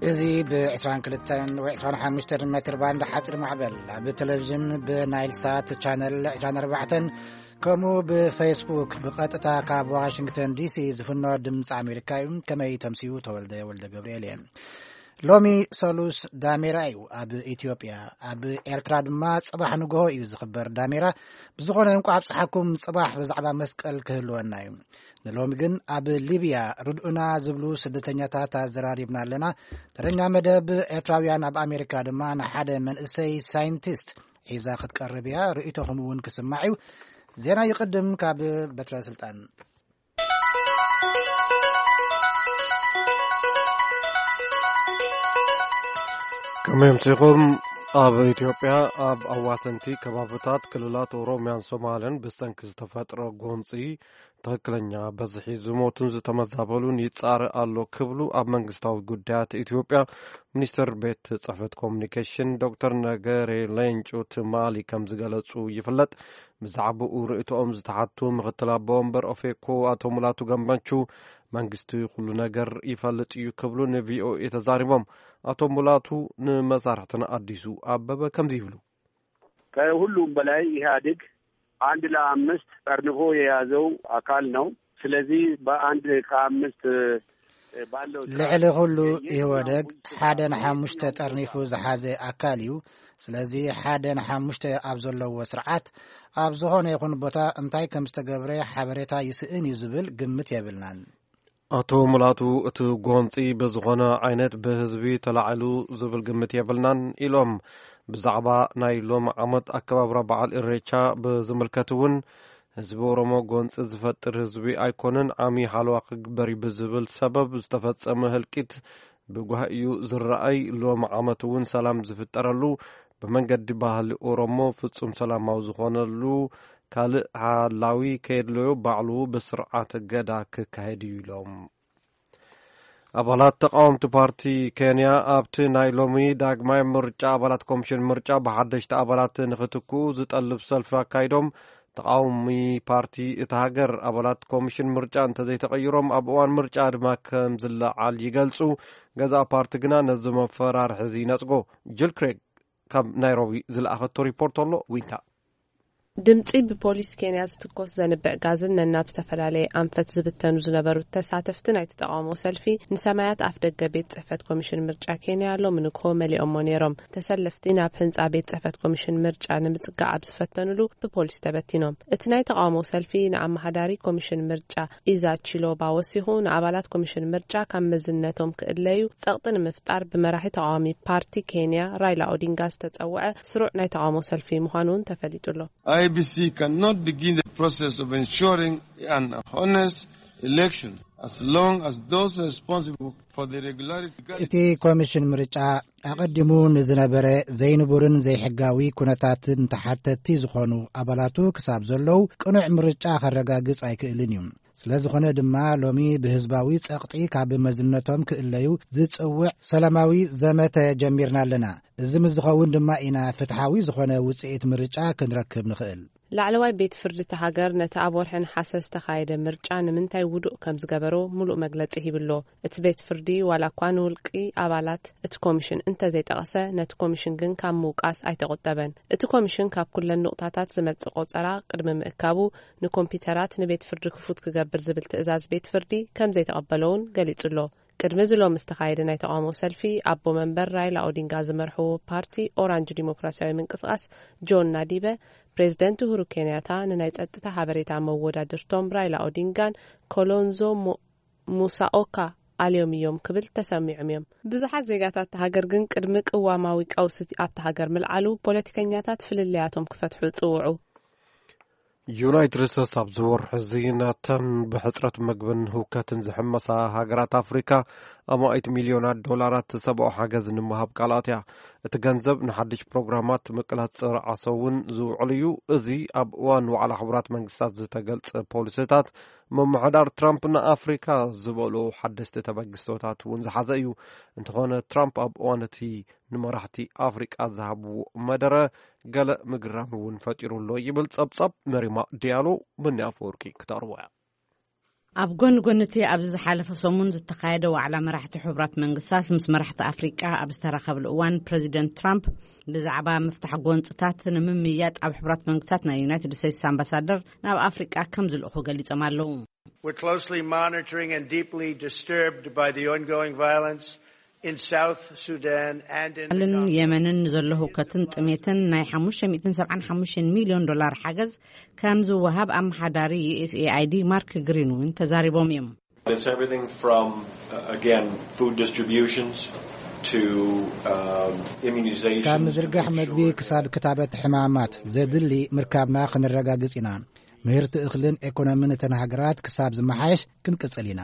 እዚ ብ22 ወይ 25 ሜትር ባንድ ሓፂር ማዕበል ኣብ ቴሌቪዥን ብናይል ሳት ቻነል 24 ከምኡ ብፌስቡክ ብቐጥታ ካብ ዋሽንግተን ዲሲ ዝፍኖ ድምፂ ኣሜሪካ እዩ። ከመይ ተምስዩ? ተወልደ ወልደ ገብርኤል እየ። ሎሚ ሰሉስ ዳሜራ እዩ ኣብ ኢትዮጵያ። ኣብ ኤርትራ ድማ ጽባሕ ንግሆ እዩ ዝኽበር ዳሜራ። ብዝኾነ እንቋዕ ኣብጽሓኩም። ጽባሕ ብዛዕባ መስቀል ክህልወና እዩ። ንሎሚ ግን ኣብ ሊብያ ርድኡና ዝብሉ ስደተኛታት ኣዘራሪብና ኣለና። ተረኛ መደብ ኤርትራውያን ኣብ ኣሜሪካ ድማ ንሓደ መንእሰይ ሳይንቲስት ሒዛ ክትቀርብ እያ። ርእይቶኹም እውን ክስማዕ እዩ። ዜና ይቕድም ካብ በትረ ስልጣን። ከመይ ኣምሲኹም? ኣብ ኢትዮጵያ ኣብ ኣዋሰንቲ ከባብታት ክልላት ኦሮሚያን ሶማልን ብሰንኪ ዝተፈጥረ ጎንፂ ትኽክለኛ በዝሒ ዝሞቱን ዝተመዛበሉን ይጻረ ኣሎ ክብሉ ኣብ መንግስታዊ ጉዳያት ኢትዮጵያ ሚኒስትር ቤት ጽሕፈት ኮሚኒኬሽን ዶክተር ነገሬ ሌንጮ ትማሊ ከም ዝገለጹ ይፍለጥ። ብዛዕባኡ ርእይቶኦም ዝተሓቱ ምኽትል ኣቦ ወንበር ኦፌኮ ኣቶ ሙላቱ ገመቹ መንግስቲ ኩሉ ነገር ይፈልጥ እዩ ክብሉ ንቪኦኤ ተዛሪቦም። ኣቶ ሙላቱ ንመሳርሕትና ኣዲሱ ኣበበ ከምዚ ይብሉ። ከሁሉም በላይ ኢህአዴግ አንድ ለአምስት ጠርንፎ የያዘው አካል ነው። ስለዚህ በአንድ ከአምስት ባለው ልዕሊ ኩሉ ኢህወደግ ሓደ ንሓሙሽተ ጠርኒፉ ዝሓዘ ኣካል እዩ። ስለዚ ሓደ ንሓሙሽተ ኣብ ዘለዎ ስርዓት ኣብ ዝኾነ ይኹን ቦታ እንታይ ከም ዝተገብረ ሓበሬታ ይስእን እዩ ዝብል ግምት የብልናን። ኣቶ ሙላቱ እቲ ጎንፂ ብዝኾነ ዓይነት ብህዝቢ ተላዒሉ ዝብል ግምት የብልናን ኢሎም። ብዛዕባ ናይ ሎም ዓመት ኣከባብራ በዓል ኢሬቻ ብዝምልከት እውን ህዝቢ ኦሮሞ ጎንፂ ዝፈጥር ህዝቢ ኣይኮነን፣ ዓሚ ሓለዋ ክግበር እዩ ብዝብል ሰበብ ዝተፈጸመ ህልቂት ብጓህ እዩ ዝረኣይ። ሎም ዓመት እውን ሰላም ዝፍጠረሉ፣ ብመንገዲ ባህሊ ኦሮሞ ፍጹም ሰላማዊ ዝኾነሉ፣ ካልእ ሓላዊ ከየድለዮ ባዕሉ ብስርዓት ገዳ ክካየድ እዩ ኢሎም። ኣባላት ተቃወምቲ ፓርቲ ኬንያ ኣብቲ ናይ ሎሚ ዳግማይ ምርጫ ኣባላት ኮሚሽን ምርጫ ብሓደሽቲ ኣባላት ንክትክኡ ዝጠልብ ሰልፊ ኣካይዶም። ተቃዋሚ ፓርቲ እታ ሃገር ኣባላት ኮሚሽን ምርጫ እንተዘይተቀይሮም ኣብ እዋን ምርጫ ድማ ከም ዝለዓል ይገልጹ። ገዛእ ፓርቲ ግና ነዚ መፈራርሒ እዚ ይነጽጎ። ጅል ክሬግ ካብ ናይሮቢ ዝለኣኸቶ ሪፖርት ኣሎ። ዊንታ። ድምጺ ብፖሊስ ኬንያ ዝትኮስ ዘንብዕ ጋዝን ነናብ ዝተፈላለየ ኣንፈት ዝብተኑ ዝነበሩ ተሳተፍቲ ናይቲ ተቃውሞ ሰልፊ ንሰማያት ኣፍ ደገ ቤት ጽሕፈት ኮሚሽን ምርጫ ኬንያ ሎሚ ንግሆ መሊኦሞ ነይሮም። ተሰለፍቲ ናብ ህንጻ ቤት ጽሕፈት ኮሚሽን ምርጫ ንምጽጋዕ ኣብ ዝፈተኑሉ ብፖሊስ ተበቲኖም። እቲ ናይ ተቃውሞ ሰልፊ ንኣመሓዳሪ ኮሚሽን ምርጫ ኢዛ ቺሎባ ወሲኹ ንኣባላት ኮሚሽን ምርጫ ካብ መዝነቶም ክእለዩ ጸቕጢ ንምፍጣር ብመራሒ ተቃዋሚ ፓርቲ ኬንያ ራይላ ኦዲንጋ ዝተጸውዐ ስሩዕ ናይ ተቃውሞ ሰልፊ ምዃኑ እውን ተፈሊጡ ኣሎ። I B C cannot begin the process of ensuring an honest election as long as those responsible for the irregularity እቲ ኮሚሽን ምርጫ ኣቐዲሙ ንዝነበረ ዘይንቡርን ዘይሕጋዊ ኩነታትን ተሓተቲ ዝኾኑ ኣባላቱ ክሳብ ዘለዉ ቅኑዕ ምርጫ ከረጋግጽ ኣይክእልን እዩ። ስለ ዝኾነ ድማ ሎሚ ብህዝባዊ ጸቕጢ ካብ መዝነቶም ክእለዩ ዝጽውዕ ሰላማዊ ዘመተ ጀሚርና ኣለና። እዚ ምስ ዝኸውን ድማ ኢና ፍትሓዊ ዝኾነ ውጽኢት ምርጫ ክንረክብ ንኽእል። ላዕለዋይ ቤት ፍርዲ እታ ሃገር ነቲ ኣብ ወርሒ ነሓሰ ዝተኻየደ ምርጫ ንምንታይ ውዱእ ከም ዝገበሮ ምሉእ መግለጺ ሂብሎ። እቲ ቤት ፍርዲ ዋላ እኳ ንውልቂ ኣባላት እቲ ኮሚሽን እንተዘይጠቐሰ፣ ነቲ ኮሚሽን ግን ካብ ምውቃስ ኣይተቖጠበን። እቲ ኮሚሽን ካብ ኩለን ንቑጣታት ዝመጽእ ቆጸራ ቅድሚ ምእካቡ ንኮምፒውተራት ንቤት ፍርዲ ክፉት ክገብር ዝብል ትእዛዝ ቤት ፍርዲ ከም ዘይተቐበሎ እውን ገሊጹ ኣሎ። ቅድሚ እዚ ሎሚ ዝተኻየደ ናይ ተቃውሞ ሰልፊ ኣቦ መንበር ራይላ ኦዲንጋ ዝመርሕዎ ፓርቲ ኦራንጅ ዲሞክራሲያዊ ምንቅስቃስ ጆን ናዲበ ፕሬዚደንት ኡሁሩ ኬንያታ ንናይ ጸጥታ ሓበሬታ መወዳድርቶም ራይላ ኦዲንጋን ኮሎንዞ ሞ- ሙሳኦካ ኣልዮም እዮም ክብል ተሰሚዖም እዮም። ብዙሓት ዜጋታት እታ ሃገር ግን ቅድሚ ቅዋማዊ ቀውሲ ኣብታ ሃገር ምልዓሉ ፖለቲከኛታት ፍልልያቶም ክፈትሑ ጽውዑ። ዩናይትድ ስቴትስ ኣብዚ ወርሒ እዚ ነተን ብሕጽረት ምግብን ህውከትን ዝሕመሳ ሃገራት ኣፍሪካ ኣማኢት ሚልዮናት ዶላራት ሰብኣዊ ሓገዝ ንምሃብ ቃል ኣትያ። እቲ ገንዘብ ንሓድሽ ፕሮግራማት ምቅላስ ጸረ ዓሶ እውን ዝውዕል እዩ። እዚ ኣብ እዋን ዋዕላ ሕቡራት መንግስታት ዝተገልጸ ፖሊሲታት ምምሕዳር ትራምፕ ንኣፍሪካ ዝበሎ ሓደስቲ ተበግሶታት እውን ዝሓዘ እዩ። እንተኾነ ትራምፕ ኣብ እዋን እቲ ንመራሕቲ ኣፍሪቃ ዝሃብዎ መደረ ገለ ምግራም እውን ፈጢሩ ኣሎ ይብል ጸብጻብ መሪማ ዲያሎ። ብኒ ኣፈወርቂ ክተቕርቦ እያ። ኣብ ጎኒ ጎኒ እቲ ኣብዚ ዝሓለፈ ሰሙን ዝተኻየደ ዋዕላ መራሕቲ ሕቡራት መንግስታት ምስ መራሕቲ ኣፍሪቃ ኣብ ዝተራኸብሉ እዋን፣ ፕረዚደንት ትራምፕ ብዛዕባ ምፍታሕ ጎንፅታት ንምምይያጥ ኣብ ሕቡራት መንግስታት ናይ ዩናይትድ ስቴትስ ኣምባሳደር ናብ ኣፍሪቃ ከም ዝልእኹ ገሊጾም ኣለዉ። We're closely monitoring and deeply disturbed by the ongoing violence in South Sudan and in the ልን Congo. የመንን ንዘሎ ህውከትን ጥሜትን ናይ ሓሙሽተ ሚእትን ሰብዓን ሓሙሽተን ሚልዮን ዶላር ሓገዝ ከም ዝወሃብ ኣመሓዳሪ ዩ ኤስ ኤ ኣይ ዲ ማርክ ግሪን እውን ተዛሪቦም እዮም። It's everything from, uh, again, food distributions to, um, immunization ካብ to ምዝርጋሕ make መግቢ sure ክሳብ ክታበት ሕማማት ዘድሊ ምርካብና ክንረጋግጽ ኢና። ምህርቲ እኽልን ኤኮኖምን እተን ሃገራት ክሳብ ዝመሓየሽ ክንቅጽል ኢና።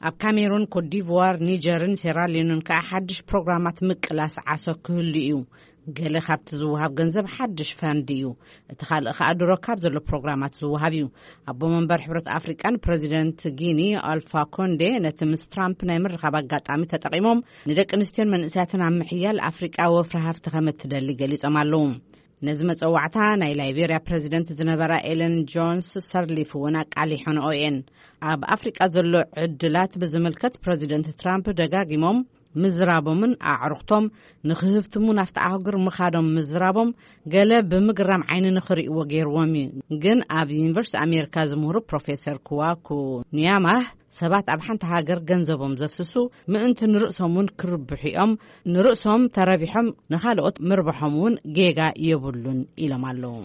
ኣብ ካሜሩን፣ ኮትዲቯር፣ ኒጀርን ሴራሊዮንን ከኣ ሓድሽ ፕሮግራማት ምቅላስ ዓሶ ክህሉ እዩ። ገለ ካብቲ ዝወሃብ ገንዘብ ሓድሽ ፈንድ እዩ። እቲ ካልእ ከኣ ድሮ ካብ ዘሎ ፕሮግራማት ዝወሃብ እዩ። ኣቦ መንበር ሕብረት ኣፍሪቃን ፕረዚደንት ጊኒ ኣልፋ ኮንዴ ነቲ ምስ ትራምፕ ናይ ምርኻብ ኣጋጣሚ ተጠቒሞም ንደቂ ኣንስትዮን መንእሰያትን ኣብ ምሕያል ኣፍሪቃ ወፍሪ ሃፍቲ ከም እትደሊ ገሊጾም ኣለዉ። ነዚ መጸዋዕታ ናይ ላይቤርያ ፕረዚደንት ዝነበራ ኤለን ጆንስ ሰርሊፍ እውን ኣቃሊሖንኦ እየን። ኣብ ኣፍሪቃ ዘሎ ዕድላት ብዝምልከት ፕረዚደንት ትራምፕ ደጋጊሞም ምዝራቦምን ኣዕሩኽቶም ንኽህፍትሙ ናብቲ ኣህጉር ምኻዶም ምዝራቦም ገለ ብምግራም ዓይኒ ንኽርእይዎ ገይርዎም እዩ። ግን ኣብ ዩኒቨርሲቲ ኣሜሪካ ዝምህሩ ፕሮፌሰር ክዋኩ ኑያማህ ሰባት ኣብ ሓንቲ ሃገር ገንዘቦም ዘፍስሱ ምእንቲ ንርእሶም እውን ክርብሑ እዮም። ንርእሶም ተረቢሖም ንኻልኦት ምርባሖም እውን ጌጋ የብሉን ኢሎም ኣለዉ።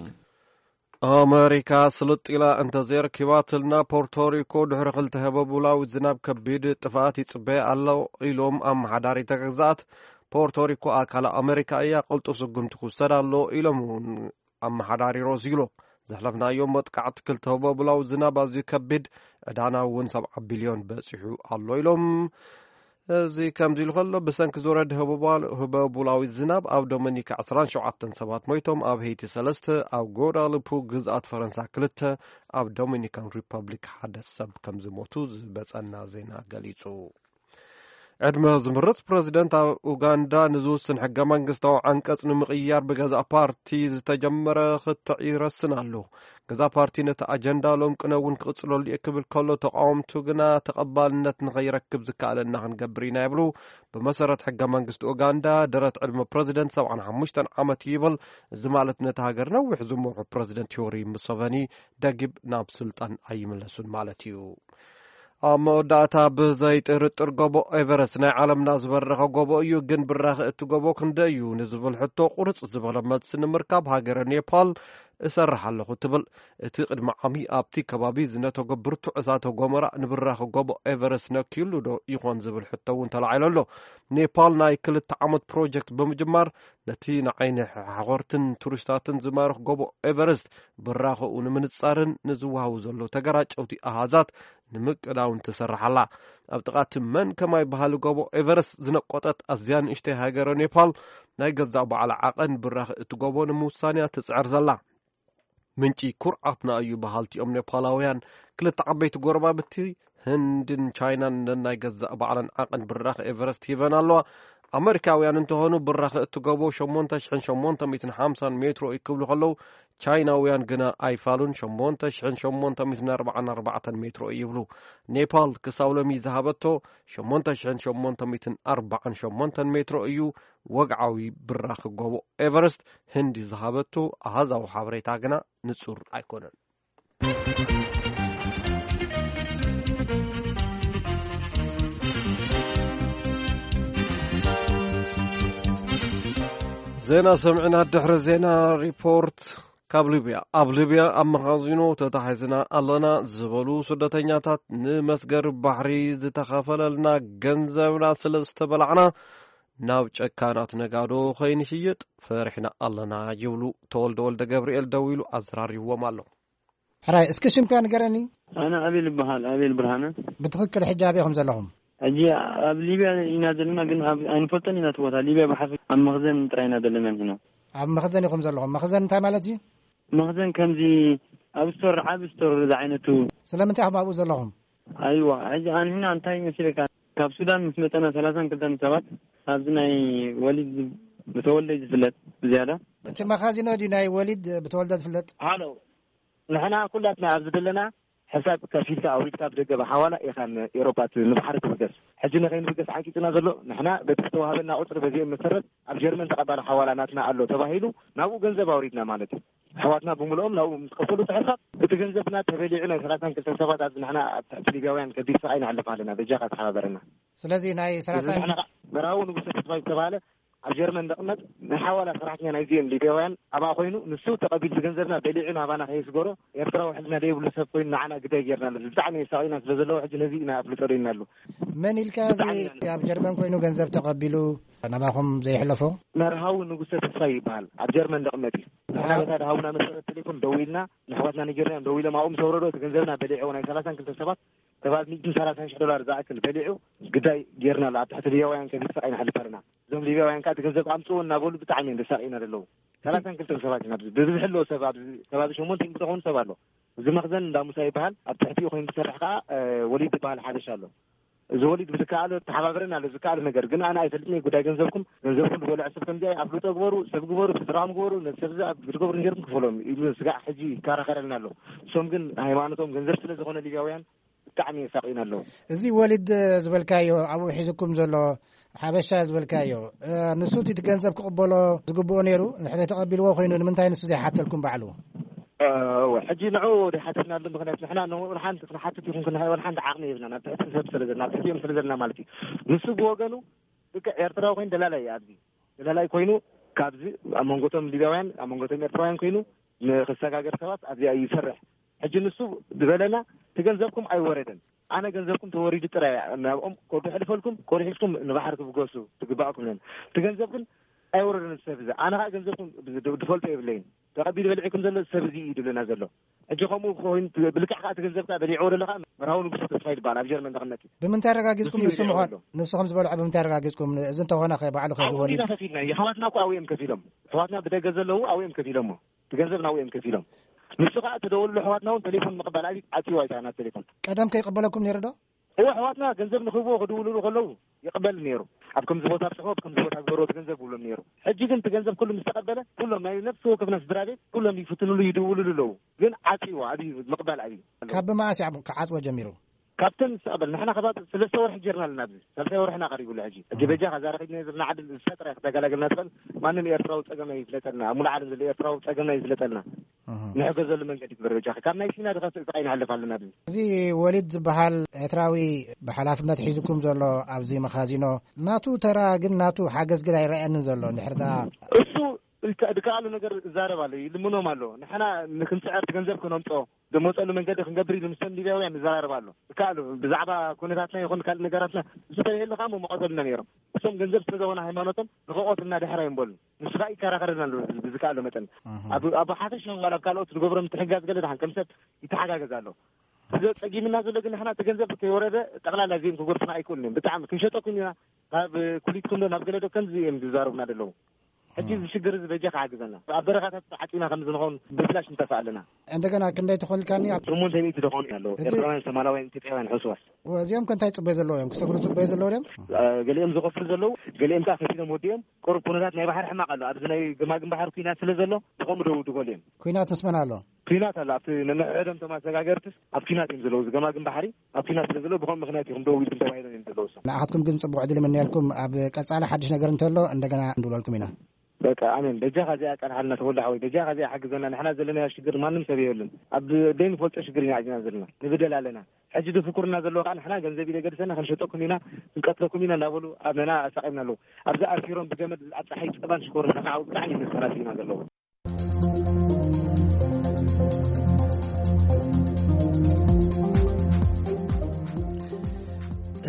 ኣመሪካ ስልጥ ኢላ እንተዘይረኪባትልና ፖርቶሪኮ ድሕሪ ክልተ ህበቡላዊ ዝናብ ከቢድ ጥፍኣት ይጽበያ ኣሎ ኢሎም ኣመሓዳሪ እታ ግዝኣት። ፖርቶሪኮ ኣካል ኣመሪካ እያ፣ ቅልጡፍ ስጉምቲ ክውሰድ ኣሎ ኢሎም እውን ኣመሓዳሪ ሮዚሎ። ዘሕለፍናዮ መጥቃዕቲ ክልተ ህበቡላዊ ዝናብ ኣዝዩ ከቢድ፣ ዕዳና እውን ሰብዓ ቢልዮን በጺሑ ኣሎ ኢሎም። እዚ ከምዚ ኢሉ ከሎ፣ ብሰንኪ ዝወረደ ህበቡላዊ ዝናብ ኣብ ዶሚኒካ ዕስራን ሸውዓተን ሰባት ሞይቶም፣ ኣብ ሄይቲ ሰለስተ፣ ኣብ ጎዳልፑ ግዝኣት ፈረንሳ ክልተ፣ ኣብ ዶሚኒካን ሪፐብሊክ ሓደ ሰብ ከም ዝሞቱ ዝበጸና ዜና ገሊጹ። ዕድመ ዝምርጽ ፕረዚደንት ኣብ ኡጋንዳ ንዝውስን ሕገ መንግስታዊ ዓንቀጽ ንምቕያር ብገዛእ ፓርቲ ዝተጀመረ ክትዕ ይረስን ኣሎ። ገዛእ ፓርቲ ነቲ ኣጀንዳ ሎም ቅነ እውን ክቕጽለሉ እየ ክብል ከሎ፣ ተቃወምቱ ግና ተቐባልነት ንኸይረክብ ዝከኣለና ክንገብር ኢና ይብሉ። ብመሰረት ሕገ መንግስቲ ኡጋንዳ፣ ደረት ዕድመ ፕረዚደንት ሰብዓን ሓሙሽተን ዓመት እዩ ይብል። እዚ ማለት ነቲ ሃገር ነዊሕ ዝመርሑ ፕረዚደንት ዮወሪ ሙሰቨኒ ደጊብ ናብ ስልጣን ኣይምለሱን ማለት እዩ። ኣብ መወዳእታ፣ ብዘይጥርጥር ጎቦ ኤቨረስት ናይ ዓለምና ዝበረኸ ጎቦ እዩ፣ ግን ብራኸ እቲ ጎቦ ክንደይ እዩ ንዝብል ሕቶ ቁርጽ ዝበለ መልሲ ንምርካብ ሃገረ ኔፓል እሰርሕ ኣለኹ ትብል። እቲ ቅድሚ ዓሚ ኣብቲ ከባቢ ዝነተጎ ብርቱዕ እሳተ ጎመራ ንብራኸ ጎቦ ኤቨረስት ነክዩሉ ዶ ይኾን ዝብል ሕቶ እውን ተላዒሉ ኣሎ። ኔፓል ናይ ክልተ ዓመት ፕሮጀክት ብምጅማር ነቲ ንዓይኒ ሓኾርትን ቱሪስታትን ዝማርኽ ጎቦ ኤቨረስት ብራኸኡ ንምንጻርን ንዝወሃቡ ዘለዉ ተገራጨውቲ ኣሃዛት ንምቅዳውን ትሰርሕ ኣላ። ኣብ ጥቓ እቲ መን ከማይ በሃሊ ጎቦ ኤቨረስት ዝነቆጠት ኣዝያ ንእሽተይ ሃገረ ኔፓል፣ ናይ ገዛእ ባዕላ ዓቐን ብራኸ እቲ ጎቦ ንምውሳን እያ ትጽዕር ዘላ። ምንጪ ኩርዓትና እዩ በሃልቲ እዮም ኔፓላውያን። ክልተ ዓበይቲ ጎረባብቲ ህንድን ቻይናን ነናይ ገዛእ ባዕለን ዓቐን ብራኸ ኤቨረስት ሂበን ኣለዋ። ኣመሪካውያን እንተኾኑ ብራኸ እቲ ጎቦ ሸሞንተ ሽሕን ሸሞንተ ሚእትን ሓምሳን ሜትሮ እዩ ክብሉ ከለዉ፣ ቻይናውያን ግና ኣይፋሉን፣ ሸሞንተ ሽሕን ሸሞንተ ሚእትን ኣርባዓን ኣርባዕተን ሜትሮ እዩ ይብሉ። ኔፓል ክሳብ ሎሚ ዝሃበቶ ሸሞንተ ሽሕን ሸሞንተ ሚእትን ኣርባዓን ሸሞንተን ሜትሮ እዩ። ወግዓዊ ብራኺ ጎቦ ኤቨረስት ህንዲ ዝሃበቶ ኣሃዛዊ ሓበሬታ ግና ንጹር ኣይኮነን። ዜና ሰሚዕና፣ ድሕሪ ዜና ሪፖርት ካብ ሊብያ። ኣብ ሊብያ ኣብ መኻዚኖ ተታሒዝና ኣለና ዝበሉ ስደተኛታት፣ ንመስገሪ ባሕሪ ዝተኸፈለልና ገንዘብና ስለ ዝተበላዕና ናብ ጨካናት ነጋዶ ከይንሽየጥ ፈሪሕና ኣለና ይብሉ ተወልደ ወልደ ገብርኤል ደዊሉ ኣዘራሪብዎም ኣሎ። ሕራይ፣ እስኪ ሽምካ ንገረኒ። ኣነ ኣቤል ይበሃል፣ ኣቤል ብርሃነ። ብትኽክል ሕጂ ኣበይ ኢኹም ዘለኹም? ሕጂ ኣብ ሊብያ ኢና ዘለና፣ ግን ኣብ፣ ኣይንፈልጦን ኢና እቲ ቦታ። ሊብያ ብሓፈ ኣብ መኽዘን ጥራይ ኢና ዘለና ንሕና። ኣብ መኽዘን ኢኹም ዘለኹም። መኽዘን እንታይ ማለት እዩ? መኽዘን ከምዚ ኣብ ስቶር፣ ዓቢ ስቶር ዝዓይነቱ። ስለምንታይ ኢኹም ኣብኡ ዘለኹም? ኣይዋ፣ ሕጂ ኣንሕና እንታይ መሲለካ፣ ካብ ሱዳን ምስ መጸና ሰላሳን ክልተን ሰባት ኣብዚ ናይ ወሊድ ዝ-፣ ብተወልደ ዝፍለጥ ብዝያዳ። እቲ መኻዚኖ ድዩ ናይ ወሊድ ብተወልደ ዝፍለጥ? ሃሎ፣ ንሕና ኩላትና ኣብዚ ዘለና ሕሳብ ከፊልካ ኣውሪድካ ብደገ ብሓዋላ ኢኻ ንኤሮፓ ት-፣ ንባሕሪ ትብገስ። ሕጂ ንኸይንብገስ ዓንቂጽና ዘሎ ንሕና በቲ ዝተዋህበና ቁጽሪ በዚኦም መሰረት ኣብ ጀርመን ተቐባሊ ሓዋላ ናትና ኣሎ ተባሂሉ ናብኡ ገንዘብ ኣውሪድና ማለት እዩ። ኣሕዋትና ብምልኦም ናብኡ ምስ ከፈሉ እቲ ሕሳብ እቲ ገንዘብና ተበሊዑ ናይ ሰላሳን ክልተን ሰባት ኣብዚ ንሕና ኣብ ትሕቲ ሊብያውያን ከቢድ ስቓይ ንሕልፍ ኣለና። በጃኻ ተሓባበረና። ስለዚ ናይ እዚ ሰላሳ ንሕና ኸዓ በራዊ ንጉሰ ተስፋይ ዝተባሃለ ኣብ ጀርመን ዝቕመጥ ናይ ሓዋላ ሰራሕተኛ ናይዚኦም ሊብያውያን ኣብኣ ኮይኑ ንሱ ተቐቢሉ እቲ ገንዘብና በሊዑ ናባና ከየስገሮ ኤርትራዊ ሕልና ዘይብሉ ሰብ ኮይኑ ንዓና ግዳይ ጌርና ኣሎ። ብጣዕሚ የሳቒና ስለ ዘለዎ ሕጂ ነዚ ኢና ኣፍልጦ ደይና ኣሎ። መን ኢልካ እዚ ብጣዕሚ ኢና ኣብ ጀርመን ኮይኑ ገንዘብ ተቐቢሉ ናባኹም ዘይሕለፎ? መርሃዊ ንጉሰ ተስፋይ ይበሃል። ኣብ ጀርመን ዝቕመጥ እዩ። ንሕና በታ ድሃቡና መሰረት ቴሌፎን ደዊልና ንሕዋትና ነጊርናዮም ደዊሎም ኣብኡ ምስ ኣውረዶ እቲ ገንዘብና በሊዑ ናይ ሰላሳን ክልተ ሰባት ሰባት ሚእትን ሰላሳን ሽሕ ዶላር ዝኣክል በሊዑ ግዳይ ጌርና ኣሎ። ኣብ ትሕቲ ሊብያውያን ከቢድ ስቓይ ንሕልፍ ኣለና። እዞም ሊብያውያን ከዓ እቲ ገንዘብ ኣምፅኡ እናበሉ ብጣዕሚ እዮም ዘሳቕዩና ዘለዉ። ሰላሳን ክልተን ሰባት ኢና ኣብዚ ብብዝሒ ኣለዎ ሰብ ኣብዚ ከባቢ ሸሞንተ ሚእቲ ዝኾኑ ሰብ ኣሎ። እዚ መኽዘን እንዳ ሙሳ ይበሃል። ኣብ ትሕቲኡ ኮይኑ ዝሰርሕ ከዓ ወሊድ ዝበሃል ሓበሻ ኣሎ። እዚ ወሊድ ብዝከኣሎ ተሓባበረና ኣሎ። ዝከኣሎ ነገር ግን ኣነ ኣይፈልጥን እየ። ጉዳይ ገንዘብኩም ገንዘብኩም ዝበልዐ ሰብ ከምዚ ኣፍልጦ ግበሩ፣ ሰብ ግበሩ፣ ስድራኹም ግበሩ፣ ነቲ ሰብ እዚ ኣብ ክትገብሩ ነይርኩም ክፈሎም ኢሉ ስጋዕ ሕጂ ይከራኸረልና ኣሎ። እሶም ግን ሃይማኖቶም ገንዘብ ስለ ዝኾነ ሊብያውያን ብጣዕሚ የሳቕዩና ኣለዉ። እዚ ወሊድ ዝበልካዮ ኣብኡ ሒዝኩም ዘሎ ሓበሻ ዝበልካዮ ንሱ እቲ ገንዘብ ክቕበሎ ዝግብኦ ነይሩ። ንሕደ ተቐቢልዎ ኮይኑ ንምንታይ ንሱ ዘይሓተልኩም ባዕሉ? እወ፣ ሕጂ ንዑ ዘይሓተልናሉ ምኽንያት ንሕና ንኡ ንሓንቲ ክንሓትት ይኹን ክንሃይወን ሓንቲ ዓቕሚ የብልና ናብ ትሕቲ ሰብ ስለ ዘለና ኣብ ትሕቲኦም ስለ ዘለና ማለት እዩ። ንሱ ብወገኑ ልክዕ ኤርትራዊ ኮይኑ ደላላይ እዩ ኣብዚ ደላላይ ኮይኑ ካብዚ ኣብ መንጎቶም ሊብያውያን ኣብ መንጎቶም ኤርትራውያን ኮይኑ ንክሰጋገር ሰባት ኣብዚኣ ይሰርሕ። ሕጂ ንሱ ዝበለና እቲ ገንዘብኩም ኣይወረደን። ኣነ ገንዘብኩም ተወሪዱ ጥራይ እያ ናብኦም ከዱ ሕልፈልኩም ቆሪሕኩም ንባሕሪ ክብገሱ ትግባእኩም ነን። እቲ ገንዘብ ግን ኣይወረደን ሰብ እዚ። ኣነ ከዓ ገንዘብኩም ዝፈልጦ የብለይን። ተቐቢሉ በልዒኩም ዘሎ ሰብ እዚ እዩ ድብለና ዘሎ። ሕጂ ከምኡ ኮይኑ ብልክዕ ከዓ እቲ ገንዘብ ከዓ በሊዕዎ ዘሎ ከዓ መርሃዊ ንጉሰ ተስፋ ይበሃል ኣብ ጀርመን ተቐመጥ እዩ። ብምንታይ ኣረጋጊፅኩም ንሱ ንሱ ይበልዕዎ ምዃኑ ኣሎ። ንሱ ከም ዝበልዖ ብምንታይ ኣረጋጊፅኩም እዚ እንተኾነ ከ ባዕሉ ከ ኣብኡ ዝወሊድ ኢና ከፊልና የሕዋትና እኮ ኣብኡ እዮም ከፊሎም። ኣሕዋትና ብደገ ዘለዉ ኣብኡ እዮም ከፊሎሞ። እቲ ገንዘብ ናብኡ እዮም ከፊሎም። ንሱ ከዓ ተደወልሉ ኣሕዋትና እውን ቴሌፎን ምቕባል ኣብዩ ዓፅይዋ ይታ ናብ ቴሌፎን። ቀደም ከይቅበለኩም ነይሩ ዶ? እወ ኣሕዋትና ገንዘብ ንክህብዎ ክድውልሉ ከለዉ ይቕበል ነይሩ። ኣብ ከምዚ ቦታ ኣብፅሖ ኣብ ከምዚ ቦታ ግበርዎ እቲ ገንዘብ ክብሎም ነይሩ። ሕጂ ግን እቲ ገንዘብ ኩሉ ምስ ተቐበለ ኩሎም ናይ ነፍሲ ወከፍና ስድራ ቤት ኩሎም ይፍትንሉ ይድውልሉ ኣለዉ። ግን ዓፅይዋ ኣብዩ ምቕባል ኣብዩ። ካብ ብመዓስ እዩ ክዓፅዎ ጀሚሩ? ካብተን ዝተቐበል ንሕና ከባቢ ሰለስተ ወርሒ ጀርና ኣለና ኣብዚ ሳልሳይ ወርሕና ቀሪቡ ኣሎ። ሕጂ ሕጂ በጃኻ ዛረኺብና ዘለና ዓድል ዝሰጥረ ክተገላገልና ትኽእል ማንም ኤርትራዊ ፀገም ኣይፍለጠልና ኣብ ሙሉ ዓለም ዘሎ ኤርትራዊ ፀገምና ይፍለጠልና። ንሕገዘሉ መንገዲ ግበር በጃኻ ካብ ናይ ሲና ድኸፍእ ስቓይ ንሕልፍ ኣለና ኣብዚ። እዚ ወሊድ ዝበሃል ኤርትራዊ ብሓላፍነት ሒዝኩም ዘሎ ኣብዚ መኻዚኖ ናቱ ተራ ግን ናቱ ሓገዝ ግን ኣይረኣየንን ዘሎ እንድሕር ደኣ እሱ ድከኣሉ ነገር እዛረብ ኣሎ ይልምኖም ኣሎ ንሕና ንክንፅዕር እቲ ገንዘብ ክነምፅኦ ዝመፀሉ መንገዲ ክንገብር ኢሉ ምስተን ሊብያውያን ይዘራረብ ኣሎ። ይከኣሉ ብዛዕባ ኩነታትና ይኹን ካልእ ነገራትና እሱ ተለየሉ ከዓ መመቐተሉና ነይሮም። እሶም ገንዘብ ስለዘኾነ ሃይማኖቶም ንኸቆትልና ድሕር ኣይንበሉን። ንሱ ከዓ ይከራኸረና ኣሎ ብዝከኣሎ መጠን ኣብ ኣብ ሓፈሻ ዋላ ኣብ ካልኦት ዝገብሮ ምትሕጋዝ ገለ ድሓን ከም ሰብ ይተሓጋገዝ ኣሎ። እዚ ጸጊምና ዘሎ ግን ንሕና እቲ ገንዘብ ከይወረደ ጠቕላላ እዚኦም ክጎድፉና ኣይክእሉን እዮም። ብጣዕሚ ክንሸጠኩም ኢና ካብ ኩሊትኩም ዶ ናብ ገለ ዶ ከምዚ እዮም ዝዛረቡና ዘለዉ። ሕጂ እዚ ሽግር እዚ በጃ ክሓግዘና ኣብ በረኻታት ዓፂና ከም ዝንኸውን ብፍላሽ ንጠፍእ ኣለና። እንደገና ክንደይ ትኾንልካኒ ኣብ ሽሞንተ ሚእቲ ዝኾኑ ኣለዉ። እዚ ኤርትራውያን ሶማላውያን ኢትዮጵያውያን ሕሱዋት። እዚኦም ከ እንታይ ፅበዮ ዘለዎ እዮም ክሰግሩ ፅበዮ ዘለዎ ድዮም? ገሊኦም ዝኸፍሉ ዘለዉ ገሊኦም ከዓ ከፊሎም ወዲኦም ቁሩብ ኩነታት ናይ ባሕሪ ሕማቕ ኣሎ ኣብዚ ናይ ገማግም ባሕሪ ኩናት ስለ ዘሎ ብኸምኡ ደው ድበሉ እዮም። ኩናት ምስ መን ኣሎ? ኩናት ኣሎ ኣብቲ ነንሕድሕዶም እቶም ኣሰጋገርትስ ኣብ ኩናት እዮም ዘለዉ እዚ ገማግም ባሕሪ ኣብ ኩናት ስለ ዘለዉ ብኸምኡ ምኽንያት እዮም ደው ኢልኩም ተባሂሎም እዮም ዘለዉ እሶም። ንኣኻትኩም ግን ፅቡቕ ዕድል ይምነየልኩም ኣብ ቀፃሊ ሓድሽ ነገር እንተሎ እንደገና ንድውለልኩም ኢና። በቃ ኣሜን በጃኻ እዚኣ ኣቃልሓልና ተወልደ ሓወይ በጃኻ እዚኣ ሓግዘና ንሕና ዘለናዮ ሽግር ማንም ሰብ የብሉን ኣብ ዘይንፈልጦ ሽግር ኢና ኣዚና ዘለና ንብደል ኣለና ሕጂ ዝፍኩርና ዘለዎ ከዓ ንሕና ገንዘብ ኢለ ገድሰና ክንሸጠኩም ኢና ክንቀትለኩም ኢና እናበሉ ኣመና ኣሳቒምና ኣለዉ ኣብዚ ኣሲሮም ብገመድ ኣብ ፀሓይ ፀባን ሽኮርን ከዓው ብጣዕሚ መሰራት ኢና ዘለዉ።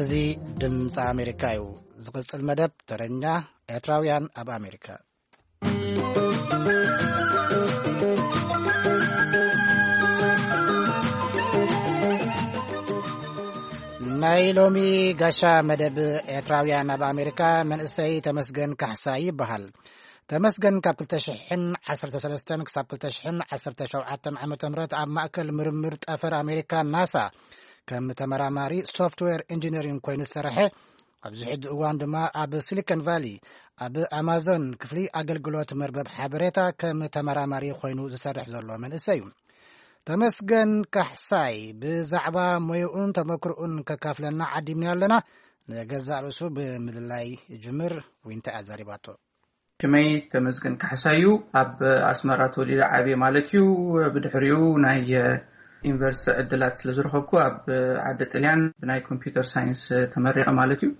እዚ ድምፂ ኣሜሪካ እዩ። ዝቕፅል መደብ ተረኛ ኤርትራውያን ኣብ ኣሜሪካ። ናይ ሎሚ ጋሻ መደብ ኤርትራውያን ኣብ ኣሜሪካ መንእሰይ ተመስገን ካሕሳ ይበሃል። ተመስገን ካብ ክልተ ሽሕን ዓሰርተ ሰለስተን ክሳብ ክልተ ሽሕን ዓሰርተ ሸውዓተን ዓመተ ምህረት ኣብ ማእከል ምርምር ጠፈር ኣሜሪካ ናሳ ከም ተመራማሪ ሶፍትዌር ኢንጂነሪንግ ኮይኑ ዝሰርሐ ኣብዚ ሕጂ እዋን ድማ ኣብ ሲሊኮን ቫሊ ኣብ ኣማዞን ክፍሊ ኣገልግሎት መርበብ ሓበሬታ ከም ተመራማሪ ኮይኑ ዝሰርሕ ዘሎ መንእሰይ እዩ። ተመስገን ካሕሳይ ብዛዕባ ሞይኡን ተመክርኡን ከካፍለና ዓዲምና ኣለና። ንገዛእ ርእሱ ብምልላይ ይጅምር። ዊንታ እያ ዘሪባቶ። ሽመይ ተመስገን ካሕሳይ እዩ። ኣብ ኣስመራ ተወሊደ ዓብየ ማለት እዩ። ብድሕሪኡ ናይ ዩኒቨርሲቲ ዕድላት ስለ ዝረኸብኩ ኣብ ዓዲ ጥልያን ብናይ ኮምፒውተር ሳይንስ ተመሪቐ ማለት እዩ።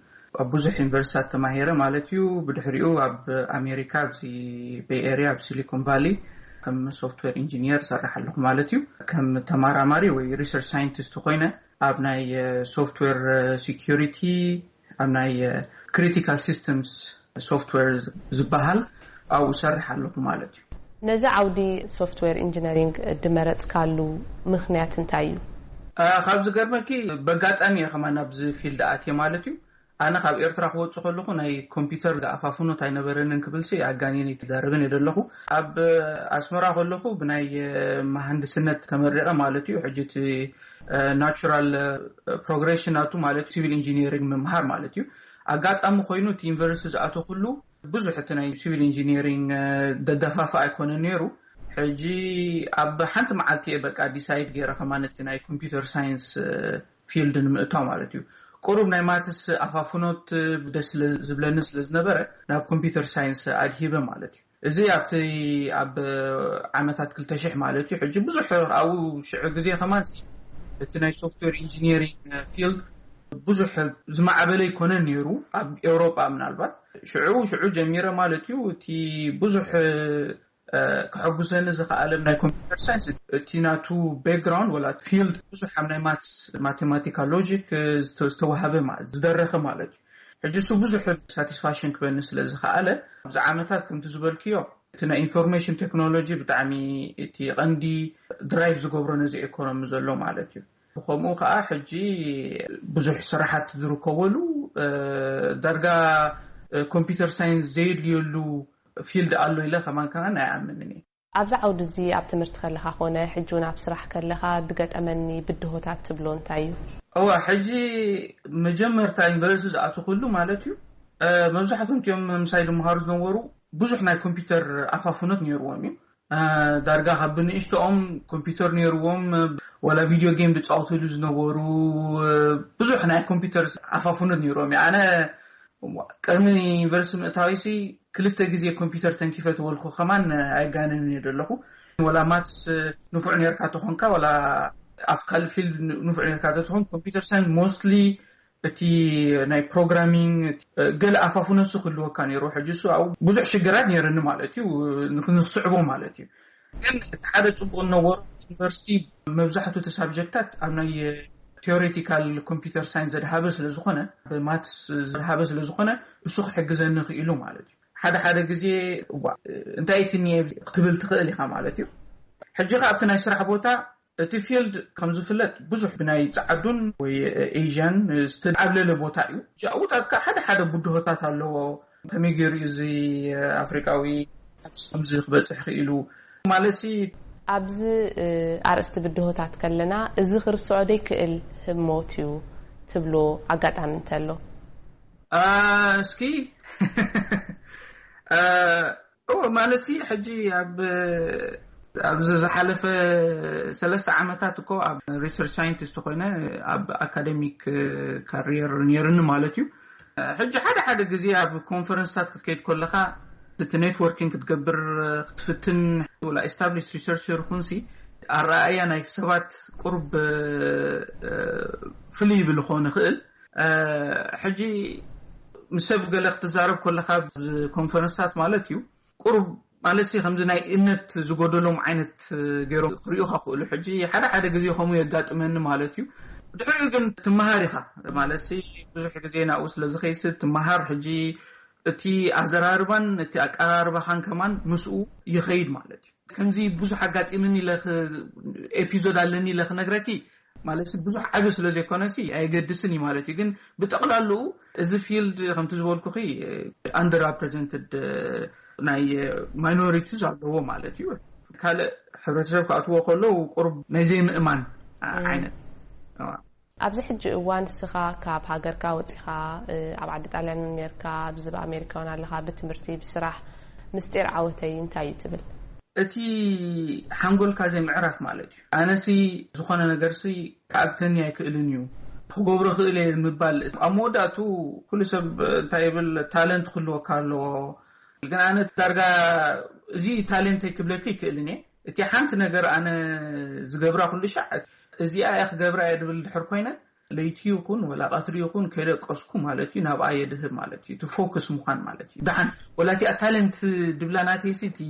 ኣብ ብዙሕ ዩኒቨርሲታት ተማሂረ ማለት እዩ። ብድሕሪኡ ኣብ ኣሜሪካ ኣብዚ ቤይ ኤሪያ ኣብ ሲሊኮን ቫሊ ከም ሶፍትዌር ኢንጂኒየር ሰርሕ ኣለኹ ማለት እዩ። ከም ተማራማሪ ወይ ሪሰርች ሳይንቲስት ኮይነ ኣብ ናይ ሶፍትዌር ሴኩሪቲ፣ ኣብ ናይ ክሪቲካል ሲስተምስ ሶፍትዌር ዝበሃል ኣብኡ ሰርሕ ኣለኹ ማለት እዩ። ነዚ ዓውዲ ሶፍትዌር ኢንጂነሪንግ ድመረፅካሉ ምኽንያት እንታይ እዩ? ካብ ዝገርመኪ በጋጣሚ እየ ከማን ኣብዚ ፊልድ ኣትየ ማለት እዩ። ኣነ ካብ ኤርትራ ክወፅእ ከለኹ ናይ ኮምፒውተር ኣፋፍኖት ኣይነበረንን ክብልሲ ኣጋኒነ ኣይዛረብን እየ ዘለኹ። ኣብ ኣስመራ ከለኹ ብናይ መሃንድስነት ተመሪቐ ማለት እዩ። ሕጂ እቲ ናቹራል ፕሮግሬሽን ናቱ ማለት ሲቪል ኢንጂኒሪንግ ምምሃር ማለት እዩ። ኣጋጣሚ ኮይኑ እቲ ዩኒቨርሲቲ ዝኣተኹሉ ብዙሕ እቲ ናይ ሲቪል ኢንጂኒሪንግ ደደፋፋ ኣይኮነን ነይሩ። ሕጂ ኣብ ሓንቲ መዓልቲ እየ በቃ ዲሳይድ ገይረ ከማን እቲ ናይ ኮምፒውተር ሳይንስ ፊልድ ንምእታው ማለት እዩ። ቁሩብ ናይ ማትስ ኣፋፍኖት ደስ ስለ ዝብለኒ ስለ ዝነበረ ናብ ኮምፒውተር ሳይንስ ኣድሂበ ማለት እዩ። እዚ ኣብቲ ኣብ ዓመታት ክልተ ሽሕ ማለት እዩ። ሕጂ ብዙሕ ኣብኡ ሽዑ ግዜ ከማን እቲ ናይ ሶፍትዌር ኢንጂኒሪንግ ፊልድ ብዙሕ ዝማዕበለ ይኮነን ነይሩ ኣብ ኤውሮጳ ምናልባት። ሽዑ ሽዑ ጀሚረ ማለት እዩ። እቲ ብዙሕ ከሐጉሰኒ ዝኸኣለ ናይ ኮምፒውተር ሳይንስ እቲ ናቱ ባክግራውንድ ወላ ፊልድ ብዙሕ ኣብ ናይ ማትስ ማቴማቲካ ሎጂክ ዝተዋሃበ ዝደረኸ ማለት እዩ። ሕጂ እሱ ብዙሕ ሳቲስፋክሽን ክበኒ ስለ ዝኸኣለ ኣብዚ ዓመታት ከምቲ ዝበልክዮ እቲ ናይ ኢንፎርሜሽን ቴክኖሎጂ ብጣዕሚ እቲ ቀንዲ ድራይቭ ዝገብሮ ነዚ ኤኮኖሚ ዘሎ ማለት እዩ። ብከምኡ ከዓ ሕጂ ብዙሕ ስራሓት ዝርከበሉ ዳርጋ ኮምፒውተር ሳይንስ ዘየድልየሉ ፊልድ ኣሎ ኢለ ከማን ከማን ኣይኣምንን እየ። ኣብዚ ዓውዲ እዚ ኣብ ትምህርቲ ከለኻ ኮነ ሕጂ እውን ኣብ ስራሕ ከለኻ ዝገጠመኒ ብድሆታት ትብሎ እንታይ እዩ? እዋ ሕጂ መጀመርታ ዩኒቨርሲቲ ዝኣተኹሉ ማለት እዩ። መብዛሕትኦም እቲኦም ምሳይ ዝመሃሩ ዝነበሩ ብዙሕ ናይ ኮምፒውተር ኣፋፍኖት ነይርዎም እዩ። ዳርጋ ካብ ብንእሽቶኦም ኮምፒውተር ነይርዎም፣ ዋላ ቪድዮ ጌም ዝፃወትሉ ዝነበሩ ብዙሕ ናይ ኮምፒውተር ኣፋፍኖት ነይርዎም እዩ። ኣነ ቅድሚ ዩኒቨርሲቲ ምእታዊሲ ክልተ ግዜ ኮምፒውተር ተንኪፈ ተበልኩ ከማን ኣይጋንን እየ ዘለኹ። ወላ ማትስ ንፉዕ ነርካ ተኾንካ ወላ ኣብ ካልእ ፊልድ ንፉዕ ነርካ ተኾን ኮምፒውተር ሳይንስ ሞስትሊ እቲ ናይ ፕሮግራሚንግ ገለ ኣፋፍነሱ ክህልወካ ነይሩ። ሕጂ እሱ ኣብኡ ብዙሕ ሽግራት ነይርኒ ማለት እዩ፣ ንክስዕቦ ማለት እዩ። ግን እቲ ሓደ ጽቡቕ ነበሩ ዩኒቨርሲቲ መብዛሕትኡ እቲ ሳብጀክታት ኣብ ናይ ቴዎሬቲካል ኮምፒውተር ሳይንስ ዘድሃበ ስለ ዝኾነ፣ ብማትስ ዘድሃበ ስለ ዝኾነ እሱ ክሕግዘኒ ክኢሉ ማለት እዩ። ሓደ ሓደ ግዜ እዋ እንታይ እቲ ክትብል ትኽእል ኢኻ ማለት እዩ። ሕጂ ከ ኣብቲ ናይ ስራሕ ቦታ እቲ ፊልድ ከም ዝፍለጥ ብዙሕ ብናይ ጸዓዱን ወይ ኤዥያን ዝተዓብለለ ቦታ እዩ። ኣብኡታት ከ ሓደ ሓደ ብድሆታት ኣለዎ። ከመይ ገይሩ እዩ እዚ ኣፍሪቃዊ ኣብዚ ከምዚ ክበጽሕ ክኢሉ ማለት ሲ? ኣብዚ ኣርእስቲ ብድሆታት ከለና እዚ ክርስዖ ዘይክእል ህሞት እዩ ትብሎ ኣጋጣሚ እንተሎ? እስኪ እወ ማለት ሲ ሕጂ ኣብ ኣብዚ ዝሓለፈ ሰለስተ ዓመታት እኮ ኣብ ሪሰርች ሳይንቲስት ኮይነ ኣብ ኣካደሚክ ካሪየር ነይርኒ ማለት እዩ። ሕጂ ሓደ ሓደ ግዜ ኣብ ኮንፈረንስታት ክትከይድ ከለኻ እቲ ኔትወርኪንግ ክትገብር ክትፍትን ወላ ኤስታብሊሽ ሪሰርቸር ይኹንሲ ኣረኣእያ ናይ ሰባት ቁሩብ ፍልይ ይብል ክኾን ይኽእል። ሕጂ ምስ ሰብ ገለ ክትዛረብ ከለኻ ኮንፈረንስታት ማለት እዩ ቁሩብ ማለት ሲ ከምዚ ናይ እምነት ዝጎደሎም ዓይነት ገይሮም ክርእዩኻ ክእሉ። ሕጂ ሓደ ሓደ ግዜ ከምኡ የጋጥመኒ ማለት እዩ። ድሕሪኡ ግን ትመሃር ኢኻ ማለት ሲ ብዙሕ ግዜ ናብኡ ስለ ዝኸይስ ትመሃር። ሕጂ እቲ ኣዘራርባን እቲ ኣቀራርባኻን ከማን ምስኡ ይኸይድ ማለት እዩ። ከምዚ ብዙሕ ኣጋጢምኒ ኢለ ኤፒዞድ ኣለኒ ኢለ ክነግረኪ ማለት ብዙሕ ዓቢ ስለ ዘይኮነሲ ኣየገድስን እዩ ማለት እዩ። ግን ብጠቕላልኡ እዚ ፊልድ ከምቲ ዝበልኩኺ ኣንደር ሪፕሬዘንትድ ናይ ማይኖሪቲስ ኣለዎ ማለት እዩ። ካልእ ሕብረተሰብ ክኣትዎ ከሎ ቁሩብ ናይ ዘይምእማን ዓይነት። ኣብዚ ሕጂ እዋን ንስኻ ካብ ሃገርካ ወፂኻ ኣብ ዓዲ ጣልያን እውን ነርካ ኣብዚ ኣብ ኣሜሪካ እውን ኣለኻ ብትምህርቲ ብስራሕ ምስጢር ዓወተይ እንታይ እዩ ትብል? እቲ ሓንጎልካ ዘይምዕራፍ ማለት እዩ። ኣነሲ ዝኾነ ነገርሲ ክኣግተኒ ኣይክእልን እዩ፣ ክገብሮ ክእል እየ ምባል። ኣብ መወዳእቱ ኩሉ ሰብ እንታይ ይብል፣ ታለንት ክህልወካ ኣለዎ። ግን ኣነ ዳርጋ እዚ ታለንተይ ክብለኪ ይክእልን እየ። እቲ ሓንቲ ነገር ኣነ ዝገብራ ኩሉ ሻዕ እዚኣ እየ ክገብራ እየ ድብል ድሕር ኮይነ፣ ለይቲ ይኹን ወላ ቀትሪ ይኹን ከይደቀስኩ ማለት እዩ፣ ናብኣ የድህብ ማለት እዩ። እቲ ፎክስ ምዃን ማለት እዩ። ደሓን ወላ እቲኣ ታለንት ድብላ ናተይሲ እቲ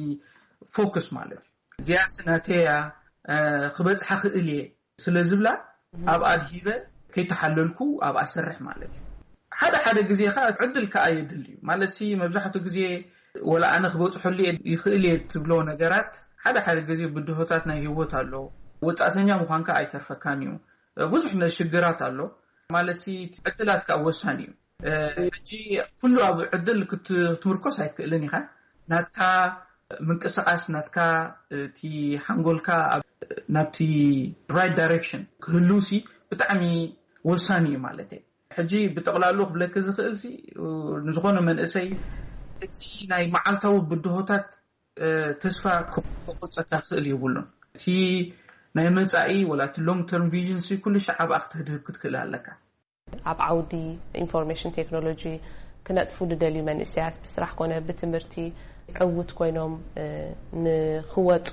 ፎክስ ማለት እዩ። እዚኣስ ናተያ ክበጽሓ ክእል እየ ስለ ዝብላ፣ ኣብ ኣድሂበ ከይተሓለልኩ ኣብኣ ሰርሕ ማለት እዩ። ሓደ ሓደ ግዜ ከኣ ዕድል ከኣ የድል እዩ ማለት ሲ፣ መብዛሕትኡ ግዜ ወላ ኣነ ክበጽሐሉ እየ ይኽእል እየ ትብሎ ነገራት፣ ሓደ ሓደ ግዜ ብድሆታት ናይ ህይወት ኣሎ። ወጻእተኛ ምዃንካ ኣይተርፈካን እዩ። ብዙሕ ነ ሽግራት ኣሎ ማለት ሲ፣ ዕድላት ከኣ ወሳኒ እዩ። ሕጂ ኩሉ ኣብ ዕድል ክትምርኮስ ኣይትክእልን ኢኻ። ናትካ ምንቅስቃስ፣ ናትካ እቲ ሓንጎልካ ናብቲ ራይት ዳይሬክሽን ክህልውሲ ብጣዕሚ ወሳኒ እዩ ማለት እየ። ሕጂ ብጠቕላሉ ክብለኪ ዝኽእልሲ፣ ንዝኾነ መንእሰይ እቲ ናይ መዓልታዊ ብድሆታት ተስፋ ክቆርፀካ ክኽእል የብሉን። እቲ ናይ መፃኢ ወላ እቲ ሎንግ ተርም ቪዥን ሲ ኩሉ ሻዕ ኣብኣ ክትህድህብ ክትክእል ኣለካ። ኣብ ዓውዲ ኢንፎርሜሽን ቴክኖሎጂ ክነጥፉ ዝደልዩ መንእሰያት ብስራሕ ኮነ ብትምህርቲ ዕውት ኮይኖም ንክወፁ፣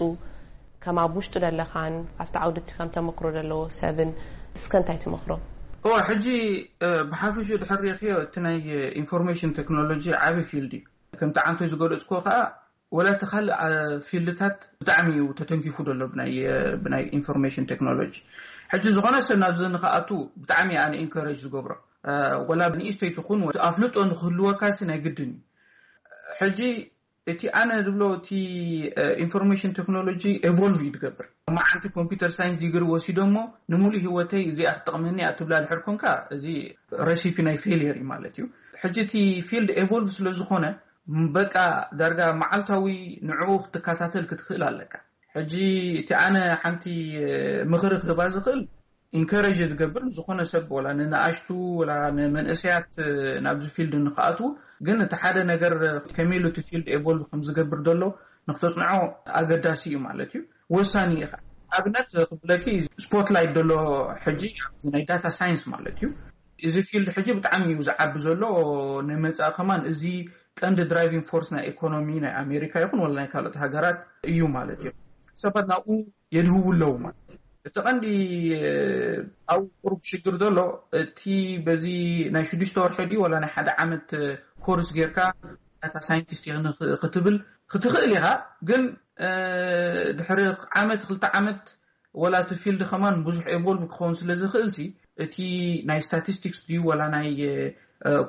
ከም ኣብ ውሽጡ ዘለኻን ኣብቲ ዓውዲ እቲ ከም ተመክሮ ዘለዎ ሰብን እስከ እንታይ ትመክሮም? ኦ ሕጂ ብሓፈሽኡ ድሕር ሪእክዮ፣ እቲ ናይ ኢንፎርሜሽን ቴክኖሎጂ ዓብዪ ፊልድ እዩ። ከምቲ ዓንቶይ ዝገለፅኩ ከዓ ወላ እቲ ካልእ ፊልድታት ብጣዕሚ እዩ ተተንኪፉ ዘሎ ብናይ ኢንፎርሜሽን ቴክኖሎጂ። ሕጂ ዝኾነ ሰብ ናብዚ ንክኣቱ ብጣዕሚ ኣነ ኢንከረጅ ዝገብሮ፣ ወላ ንእሽተይ ትኹን ኣፍልጦ ንክህልወካሲ ናይ ግድን እዩ። ሕጂ እቲ ኣነ ዝብሎ እቲ ኢንፎርሜሽን ቴክኖሎጂ ኤቮልቭ እዩ ዝገብር። መዓንቲ ኮምፒውተር ሳይንስ ዲግሪ ወሲዶ እሞ ንምሉእ ህይወተይ እዚኣ ክትጠቕመኒ እያ ትብላ ድሕር ኮንካ፣ እዚ ረሲፒ ናይ ፌልየር እዩ ማለት እዩ። ሕጂ እቲ ፊልድ ኤቮልቭ ስለ ዝኾነ፣ በቃ ዳርጋ መዓልታዊ ንዕኡ ክትከታተል ክትክእል ኣለካ። ሕጂ እቲ ኣነ ሓንቲ ምኽሪ ክህባ ዝኽእል፣ ኢንከረጅ ዝገብር ንዝኾነ ሰብ፣ ወላ ንንኣሽቱ ወላ ንመንእሰያት ናብዚ ፊልድ ንክኣትዉ፣ ግን እቲ ሓደ ነገር ከመይ ኢሉ እቲ ፊልድ ኤቮልቭ ከም ዝገብር ዘሎ ንክተፅንዖ ኣገዳሲ እዩ ማለት እዩ። ወሳኒ እዩ። ኣብነት ክብለኪ፣ ስፖትላይት ዘሎ ሕጂ ኣብዚ ናይ ዳታ ሳይንስ ማለት እዩ። እዚ ፊልድ ሕጂ ብጣዕሚ እዩ ዝዓቢ ዘሎ። ንመጻኢ ከማን እዚ ቀንዲ ድራይቪንግ ፎርስ ናይ ኢኮኖሚ ናይ ኣሜሪካ ይኹን ወላ ናይ ካልኦት ሃገራት እዩ ማለት እዩ። ሰባት ናብኡ የድህቡ ኣለዉ ማለት እዩ። እቲ ቀንዲ ኣብ ቁሩብ ሽግር ዘሎ፣ እቲ በዚ ናይ ሽዱሽተ ወርሒ ድዩ ወላ ናይ ሓደ ዓመት ኮርስ ጌርካ ዳታ ሳይንቲስት ክትብል ክትኽእል ኢኻ። ግን ድሕሪ ዓመት ክልተ ዓመት ወላ እቲ ፊልድ ከማን ብዙሕ ኤቮልቭ ክኸውን ስለ ዝኽእል ሲ፣ እቲ ናይ ስታቲስቲክስ ድዩ ወላ ናይ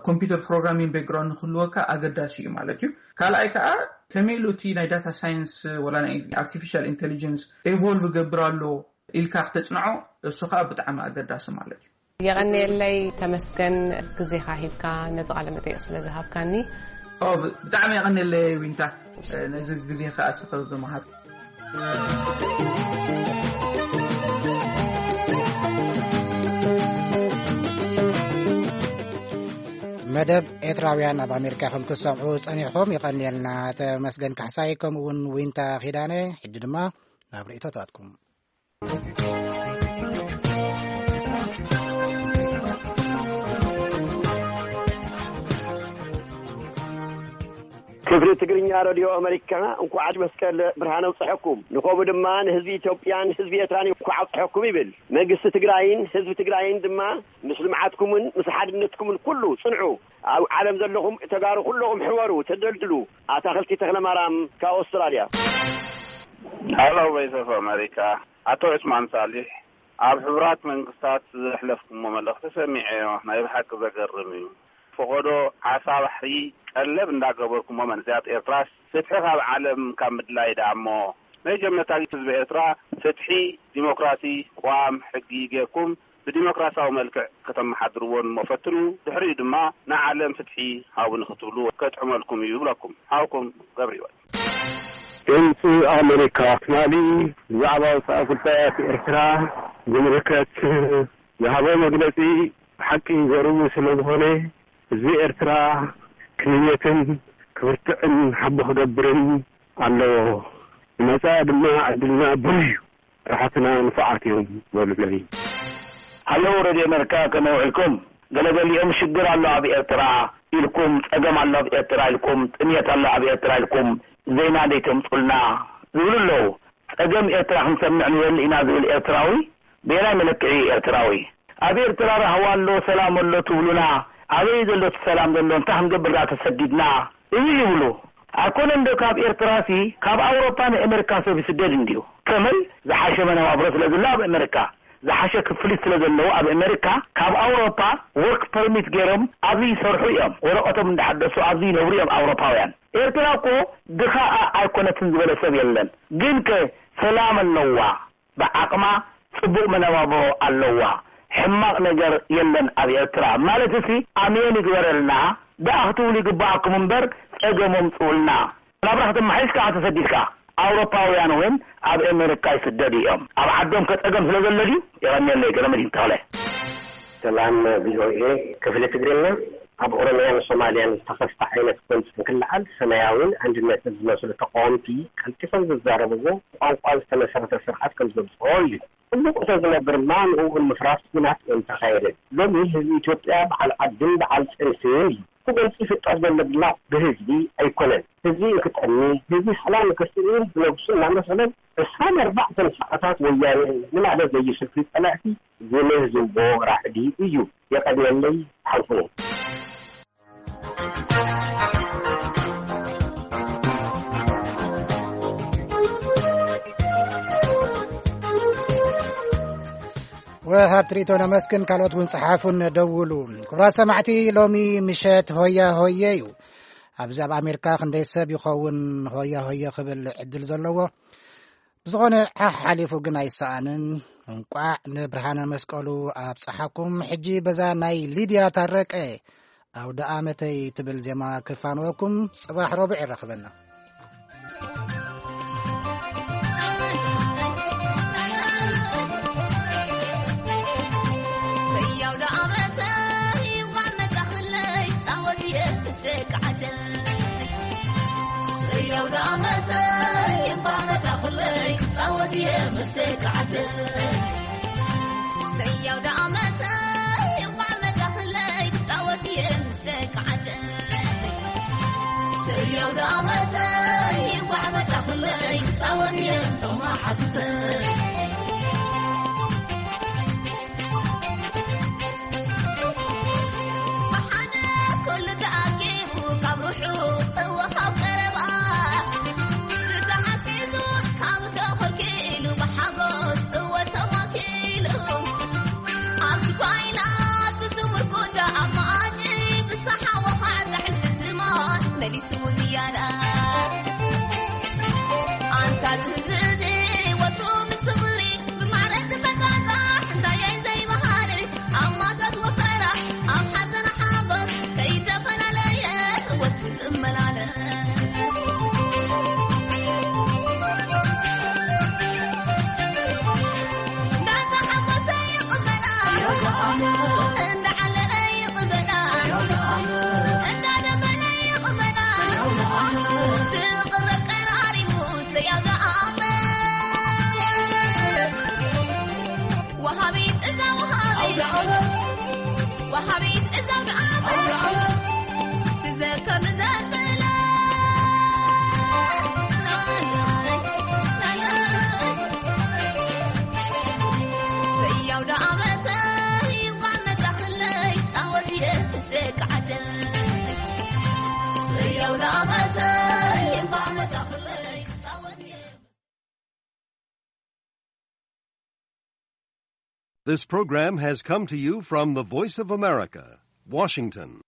ኮምፒውተር ፕሮግራሚንግ ባክግራውንድ ንክህልወካ ኣገዳሲ እዩ ማለት እዩ። ካልኣይ ከዓ ከመይ ኢሉ እቲ ናይ ዳታ ሳይንስ ወላ ናይ ኣርቲፊሻል ኢንቴሊጀንስ ኤቮልቭ ገብር ኣሎ ኢልካ ክተፅንዖ፣ እሱ ከዓ ብጣዕሚ ኣገዳሲ ማለት እዩ። የቐንየለይ ተመስገን፣ ግዜኻ ሂብካ ነዚ ቃለ መጠይቕ ስለ ዝሃብካኒ። ኦ፣ ብ- ብጣዕሚ የቐንየለይ ዊንታ፣ ነዚ ግዜኻ ኣስኸ ብምሃብ። መደብ ኤርትራውያን ኣብ ኣሜሪካ ኢኹም ክትሰምዑ ጸኒሕኹም። ይቐንየልና ተመስገን ካሕሳይ፣ ከምኡ እውን ዊንታ ኪዳነ። ሕጂ ድማ ናብ ርእይቶታትኩም። ክፍሊ ትግርኛ ረድዮ ኣመሪካ እንኳዕ መስቀል ብርሃን ኣብፀሐኩም፣ ንኸምኡ ድማ ንህዝቢ ኢትዮጵያን ህዝቢ ኤርትራን እንኳዕ ኣብፀሐኩም ይብል። መንግስቲ ትግራይን ህዝቢ ትግራይን ድማ ምስ ልምዓትኩምን ምስ ሓድነትኩምን ኩሉ ፅንዑ። ኣብ ዓለም ዘለኹም ተጋሩ ኩለኹም ሕበሩ፣ ተደልድሉ። ኣታኽልቲ ተኽለማርያም ካብ ኣውስትራልያ። ሃሎ ቮይስ ኦፍ ኣመሪካ፣ ኣቶ ዑስማን ሳሊሕ፣ ኣብ ሕቡራት መንግስታት ዘሕለፍኩሞ መልእኽቲ ሰሚዐዮ፣ ናይ ብሓቂ ዘገርም እዩ። ፈቐዶ ዓሳ ባሕሪ ቀለብ እንዳገበርኩሞ መንእሰያት ኤርትራስ ፍትሒ ካብ ዓለም ካብ ምድላይ ደኣ እሞ መጀመርታ ህዝቢ ኤርትራ ፍትሒ፣ ዲሞክራሲ፣ ቅዋም ሕጊ ጌርኩም ብዲሞክራሲያዊ መልክዕ ከተመሓድርዎ እሞ ፈትኑ፣ ድሕሪኡ ድማ ንዓለም ፍትሒ ሃቡኒ ክትብሉ ከጥዕመልኩም እዩ ይብለኩም። ሃውኩም ገብረህይወት። ድምፂ ኣሜሪካ ትማሊ ብዛዕባ ወፃኢ ጉዳያት ኤርትራ ዝምልከት ዝሃቦ መግለፂ ብሓቂ ዘርዊ ስለ ዝኾነ ህዝቢ ኤርትራ ክህየትን ክብርትዕን ሓቦ ክገብርን ኣለዎ። መጻኢ ድማ ዕድልና ብሩህ እዩ። ራሕትና ንፉዓት እዮም በሉለይ። ሃለው ሬድዮ ኣሜሪካ፣ ከመይ ውዒልኩም? ገለገሊኦም ሽግር ኣሎ ኣብ ኤርትራ ኢልኩም፣ ጸገም ኣሎ ኣብ ኤርትራ ኢልኩም፣ ጥምየት ኣሎ ኣብ ኤርትራ ኢልኩም ዜና ዘይተምጹልና ዝብሉ ኣለዉ። ጸገም ኤርትራ ክንሰምዕ ንደሊ ኢና ዝብል ኤርትራዊ በየናይ መለክዒ ኤርትራዊ? ኣብ ኤርትራ ራህዋ ኣሎ፣ ሰላም ኣሎ ትብሉና፣ ኣበይ ዘሎ እቲ ሰላም ዘሎ? እንታይ ክንገብር ደኣ ተሰዲድና? እዩ ይብሉ። ኣይኮነን ዶ ካብ ኤርትራሲ ካብ ኣውሮፓ ንኣሜሪካ ሰብ ይስደድ እንድዩ። ከመይ? ዝሓሸ መነባብሮ ስለ ዘሎ ኣብ ኣሜሪካ፣ ዝሓሸ ክፍሊት ስለ ዘለዎ ኣብ ኣሜሪካ ካብ ኣውሮፓ ወርክ ፐርሚት ገይሮም ኣብዚ ይሰርሑ እዮም። ወረቐቶም እንዳሓደሱ ኣብዚ ይነብሩ እዮም ኣውሮፓውያን። ኤርትራ እኮ ድኻ ኣይኮነትን ዝበለ ሰብ የለን። ግን ከ ሰላም ኣለዋ፣ ብዓቕማ ጽቡቕ መነባብሮ ኣለዋ። ሕማቕ ነገር የለን ኣብ ኤርትራ ማለት ሲ ኣሜን ይግበረልና። ደኣ ክትብሉ ይግባኣኩም እምበር ጸገም ኣምጽኡልና። ናብራ ከተመሓይሽ ከኣ ተሰዲድካ ኣውሮፓውያን እውን ኣብ ኣሜሪካ ይስደዱ እዮም። ኣብ ዓዶም ከጸገም ስለ ዘሎ ድዩ? የቐንየለይ። ገለመድህን ተኽለ። ሰላም ቪኦኤ ክፍሊ ትግርኛ። ኣብ ኦሮሚያን ሶማልያን ዝተኸስተ ዓይነት ጎንፂ እንክልዓል ሰማያዊን ኣንድነትን ዝመስሉ ተቃወምቲ ቀልጢፎም ዝዛረብዎ ብቋንቋ ዝተመሰረተ ስርዓት ከም ዘምፅኦ እዩ። ኩሉ ቁቶ ዝነብር ድማ ንእኡ ንምፍራስ ኩናት እዮም ተኻየደ። ሎሚ ህዝቢ ኢትዮጵያ በዓል ዓድን በዓል ጥንስን እዩ። እቲ ጎንፂ ይፍጠር ዘሎ ድማ ብህዝቢ ኣይኮነን። ህዝቢ እንክጠሚ፣ ህዝቢ ሰላም እንክስእን ብነብሱ እናመሰለን ዕስራን ኣርባዕተን ሰዓታት ወያነ ዝማዕደ ዘይስልኪ ጸላእቲ ዝምህዝዎ ራዕዲ እዩ። የቐንየለይ፣ ሓልፉኒ። ወሃብ ትርኢቶ ነመስግን፣ ካልኦት እውን ጸሓፉን ደውሉ። ክቡራት ሰማዕቲ፣ ሎሚ ምሸት ሆያ ሆየ እዩ። ኣብዚ ኣብ ኣሜሪካ ክንደይ ሰብ ይኸውን ሆያ ሆየ ክብል ዕድል ዘለዎ? ብዝኾነ ሓሕ ሓሊፉ ግን ኣይሰኣንን። እንቋዕ ንብርሃነ መስቀሉ ኣብጽሓኩም። ሕጂ በዛ ናይ ሊድያ ታረቀ ኣውደ ኣመተይ ትብል ዜማ ክፋንወኩም። ጽባሕ ረቡዕ ይራኽበና። This program has come to you from the Voice of America, Washington.